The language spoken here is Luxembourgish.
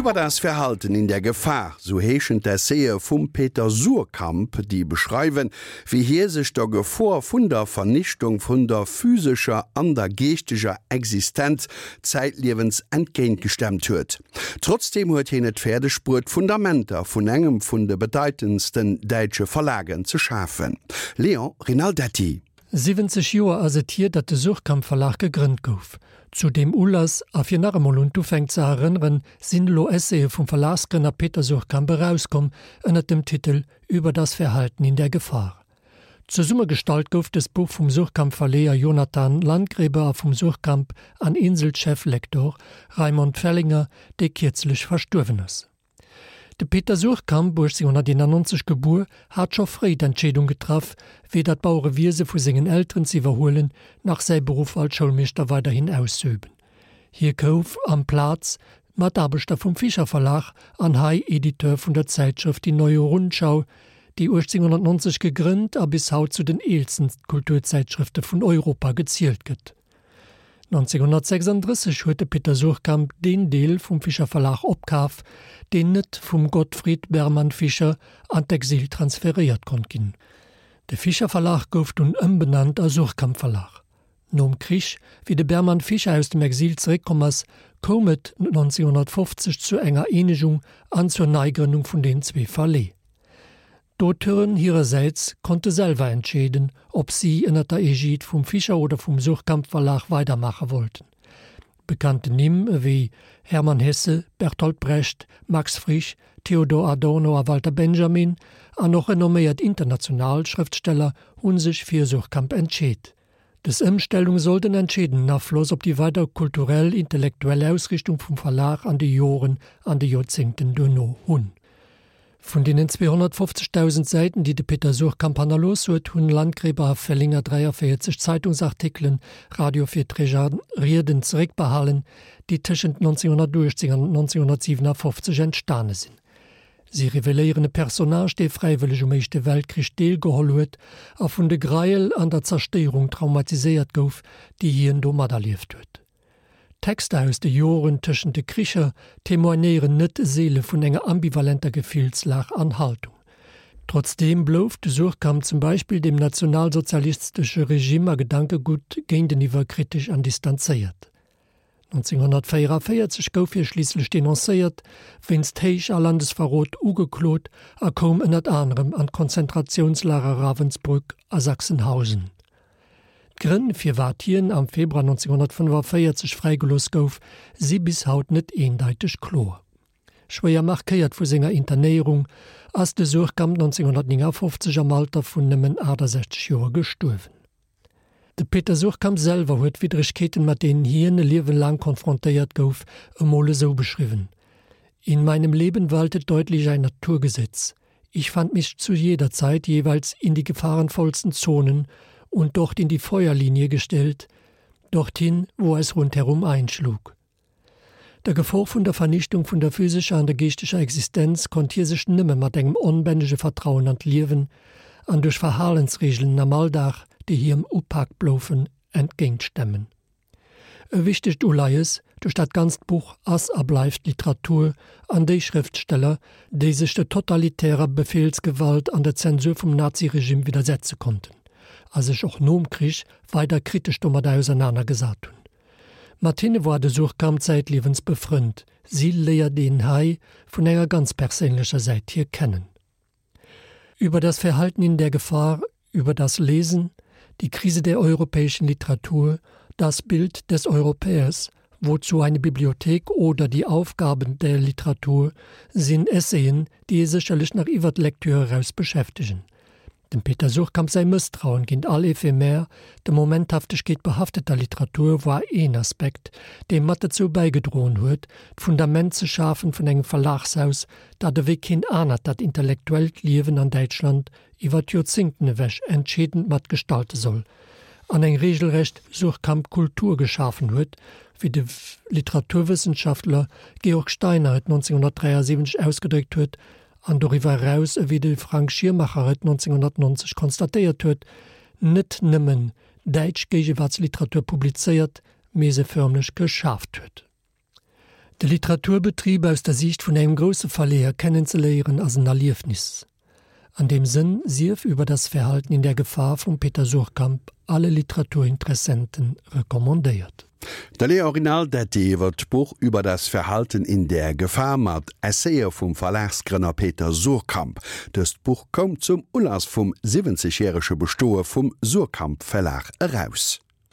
Über das Verhalten in der Gefahr, sou heeschen d'Essaye vum Peter Suhrkamp, déi beschreiwen, wéi hie sech der Gefor vun der Vernichtung vun der physescher an der geeschteger Existenz zäitliewens entgéintgestemmt huet. Trotzdeem huet hien et fäerdeg bruet, d'Fundamenter vun engem vun de bedeitendsten däitsche Verlagen ze schafen. Léon Rinaldetti. 70 Joer ass et hier, datt de Suhrkamp Verlag gegrënnt gouf. Zu deem Ulass, a fir nach emol un d'Ufäng ze erënneren, sinn elo Essaye vum Verlagsgrënner Peter Suhrkamp erauskomm ënnert dem Titel Über das Verhalten in der Gefahr. Zesummegestallt gouf dëst Buch vum Suhrkamp Verleeër Jonathan Landgräber a vum Suhrkamp an Insel Cheflektor Raimond Fellinger, dee kierzlech verstuerwen ass. De Peter Suhrkamp, 1891 gebuer, hat scho fréi d'Entscheedung getraff, weder d'Bauerewiese vu sengen Elteren ze iwwerhuelen, nach säi Beruff als Schoulmeeschter weiderhin auszeüben. Hie gouf amplaz Mataarbechter vum Fischer Verlag an hei Editeur vun der Zäitschrëft Die Neue Rundschau, déi 1890 gegrënnt a bis haut zu den eelsten Kulturzäitschrëfte vun Europa gezielt gëtt. 1936 huet de Peter Suhrkamp deen Deel vum Fischer Verlag opkaf, deen net vum Gottfried Bermann Fischer an d'Exil transferéiert konnt ginn. De Fischer Verlag gouf dunn ëmbenannt a Suhrkamp Verlag. Nom Krich, wéi de Bermann Fischer aus dem Exil zeréckkomm ass, koum et 1950 zu enger Eenegung an zur Neigrënnung vun den zwee Verlee. D'Auteuren hirersäits konnte selwer entscheeden, ob si ënner der Egide vum Fischer oder vum Suhrkamp Verlag weidermaache wollten. Bekannten Nimm ewéi Hermann Hesse, Bertolt Brecht, Max Frisch, Theodor Adorno a Walter Benjamin an och renomméiert international Schrëftsteller hu sech fir Suhrkamp entscheet. Dës Ëmstellung sollt en entscheedenden Afloss op déi weider kulturell-intellektuell Ausrichtung vum Verlag an de Joren an de Joerzéngten duerno hunn. Vun deenen 250.000 Säiten, déi de Peter Suhrkamp hannerlooss huet, hunn Landgräber a Fellinger 43 Zeitungsartikelen, Radiovirträg a Rieden zeréckbehalen, déi tëschent 1918 an 1957 entstane sinn. Si reveléieren e Personnage, dee fräiwëlleg um Éischte Weltkrich deelgeholl huet a vun de Greiel an der Zerstéierung traumatiséiert gouf, déi hien do materlieft huet. D'Texter aus de Joren tëschent de Kricher témoignéieren net seele vun enger ambivalenter Gefillslag an Haltung. Trotzdeem blouf de Suhrkamp zum Beispill dem nationalsozialistesche Regime a Gedankegutt géinteniwwer kritesch an distanzéiert. 1944 gouf hie schliisslech denoncéiert, wéinst Héich a Landesverrot ugeklot a koum ënnert anerem an d'Konzentratiounslager Ravensbrück a Sachsenhausen. D'Grënn, firwat hien am Februar 1945 fräigelooss gouf, si bis haut net eendeiteg kloer. Schwéier markéiert vu senger Internéierung, ass de Suhrkamp 1959 am Alter vun nëmmen 68 Joer gestuerwen. De Peter Suhrkamp selwer huet d'Widdregkeeten, mat deenen hien e Liewen laang konfrontéiert gouf, emol esou beschriwwen, In meinem Leben waltet deutlich ein Naturgesetz. Ich fand mich zu jeder Zeit jeweils in die gefahrenvollsten Zonen und dort in die Feuerlinie gestellt, dorthin, wo es rundherum einschlug. Der Gefor vun der Vernichtung vun der physescher an der geeschteger Existenz konnt hie sech nëmme mat engem onbännege Vertrauen an d'Liewen an duerch Verhalensreegelen am Alldag, déi hiem upak bloufen, entgéintstemmen. E wichtegt Uleies duerch dat ganzt Buch ass a bleift d'Literatur an déi Schrëftsteller, déi sech der totalitärer Befehlsgewalt an der Zensur vum Naziregime widdersetze konnten a sech och nom Krich weider kritesch domadder ausernanergesat hunn. Mat hinne woar de Suhrkamp zäitliewens befrënnt, si léiert een hei vun enger ganz perséinlecher Säit hier kennen. Über das Verhalten in der Gefahr, über das Lesen, die Krise der europäischen Literatur, das Bild des Europäers, wozu eine Bibliothek oder die Aufgaben der Literatur sinn Essayen, déi ee sécherlech nach iwwer d'Lektür eraus beschäftegen. Dem Peter Suhrkamp säi Mësstrauen géint all ephemer, der Momenthaftegkeet behafteter Literatur war een Aspekt, dee mat dozou bäigedroen huet, d'Fundament ze schafen vun engem Verlagshaus, dat ewéi keen anert dat intellektuellt Liewen an Däitschland iwwer d'Joerzéngten ewech entscheedend mat gestalte soll an eng regelrecht Suhrkamp-Kultur geschafen huet, wéi de Literaturwëssenschaftler Georg Steiner et 1973 ausgedréckt huet, an doriwwer eraus, ewéi de Frank Schirmacher et 1990 konstatéiert huet, net nëmmen däitsch Géigewaartsliteratur publizéiert, mee se förmlech geschaaft huet. De Literaturbetrib aus der Siicht vun engem grousse Verleeër kennenzeléieren ass en Erliefnis. An deem Sënn sief Über das Verhalten in der Gefahr vum Peter Suhrkamp alle Literaturinteressenten recommandéiert. De Léon Rinaldetti iwwer d'Buch Über das Verhalten in der Gefahr mat Essayë vum Verlagsgrënner Peter Suhrkamp. Dëst Buch koum zum Ulass vum 70 järege Bestoe vum Suhrkamp Verlag eraus.